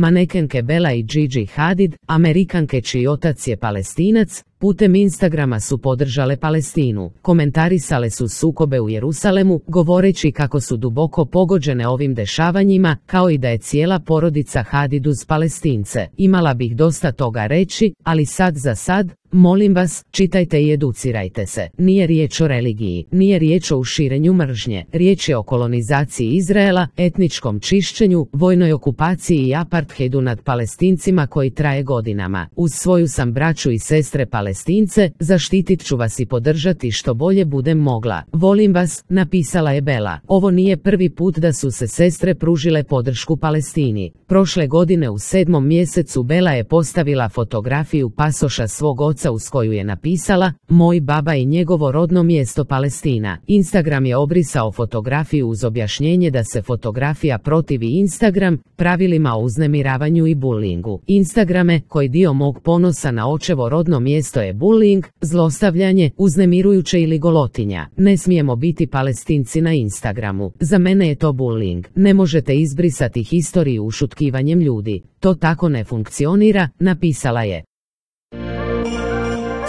manekenke Bella i Gigi Hadid, Amerikanke čiji otac je Palestinac, putem Instagrama su podržale Palestinu, komentarisale su sukobe u Jerusalemu, govoreći kako su duboko pogođene ovim dešavanjima, kao i da je cijela porodica Hadid uz Palestince. Imala bih dosta toga reći, ali sad za sad, molim vas, čitajte i educirajte se. Nije riječ o religiji, nije riječ o širenju mržnje, riječ je o kolonizaciji Izraela, etničkom čišćenju, vojnoj okupaciji i apartheidu nad Palestincima koji traje godinama. Uz svoju sam braću i sestre Palestince, zaštitit ću vas i podržati što bolje budem mogla. Volim vas, napisala je Bella. Ovo nije prvi put da su se sestre pružile podršku Palestini. Prošle godine u 7. mjesecu Bella je postavila fotografiju pasoša svog oca uz koju je napisala: "Moj baba i njegovo rodno mjesto Palestina." Instagram je obrisao fotografiju uz objašnjenje da se fotografija protivi Instagram pravilima o uznemiravanju i bullyingu. Instagrame, koji dio mog ponosa na očevo rodno mjesto je bullying, zlostavljanje, uznemirujuće ili golotinja. Ne smijemo biti Palestinci na Instagramu. Za mene je to bullying. Ne možete izbrisati historiju ušutkivanjem ljudi. To tako ne funkcionira, napisala je.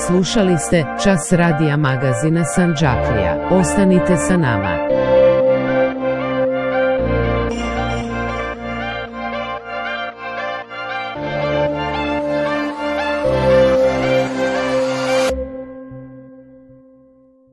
Slušali ste Čas radija magazina Sandžaklija. Ostanite sa nama.